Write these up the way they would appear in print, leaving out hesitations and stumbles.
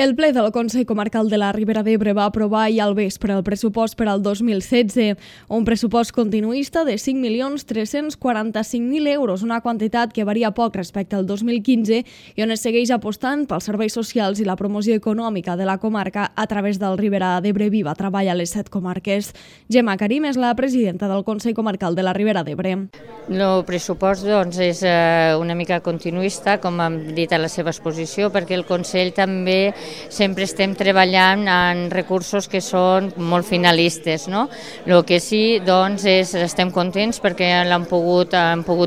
El ple del Consell Comarcal de la Ribera d'Ebre va aprovar ahir al vespre el pressupost per al 2016, un pressupost continuista de 5.345.000 euros, una quantitat que varia poc respecte al 2015 i on es segueix apostant pels serveis socials i la promoció econòmica de la comarca a través del Ribera d'Ebre Viva Treballa a les 7 comarques. Gemma Karim és la presidenta del Consell Comarcal de la Ribera d'Ebre. El pressupost és una mica continuista, com hem dit a la seva exposició, perquè el Consell també sempre estem treballant en recursos que són molt finalistes. El que sí, estem contents perquè hem pogut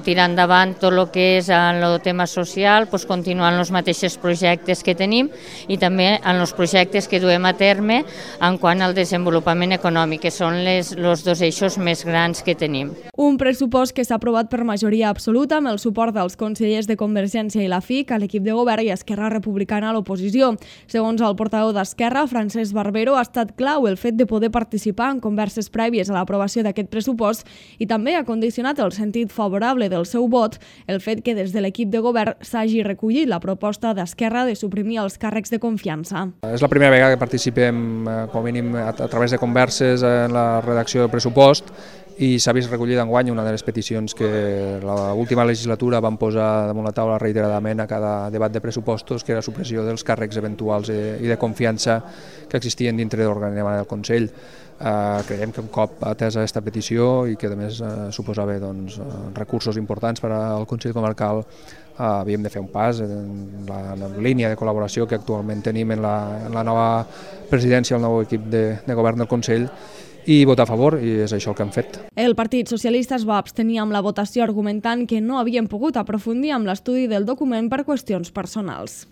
tirar endavant tot el que és en el tema social, continuant els mateixos projectes que tenim i també en els projectes que duem a terme en quant al desenvolupament econòmic, que són els dos eixos més grans que tenim. Un pressupost que s'ha aprovat per majoria absoluta amb el suport dels consellers de Convergència i la FIC, a l'equip de govern i Esquerra Republicana a l'oposició. Segons el portaveu d'Esquerra, Francesc Barbero, ha estat clau el fet de poder participar en converses prèvies a l'aprovació d'aquest pressupost i també ha condicionat el sentit favorable del seu vot el fet que des de l'equip de govern s'hagi recollit la proposta d'Esquerra de suprimir els càrrecs de confiança. És la primera vegada que participem, com a mínim, a través de converses en la redacció del pressupost i s'ha vist recollida enguany una de les peticions que l'última legislatura vam posar damunt la taula reiteradament a cada debat de pressupostos, que era la supressió dels càrrecs eventuals i de confiança que existien dintre de l'organigrama del Consell. Creiem que un cop atesa aquesta petició i que a més suposava recursos importants per al Consell Comarcal, havíem de fer un pas en la línia de col·laboració que actualment tenim en la nova presidència, el nou equip de govern del Consell, i votar a favor, i és això el que hem fet. El Partit Socialista es va abstenir amb la votació argumentant que no havien pogut aprofundir amb l'estudi del document per qüestions personals.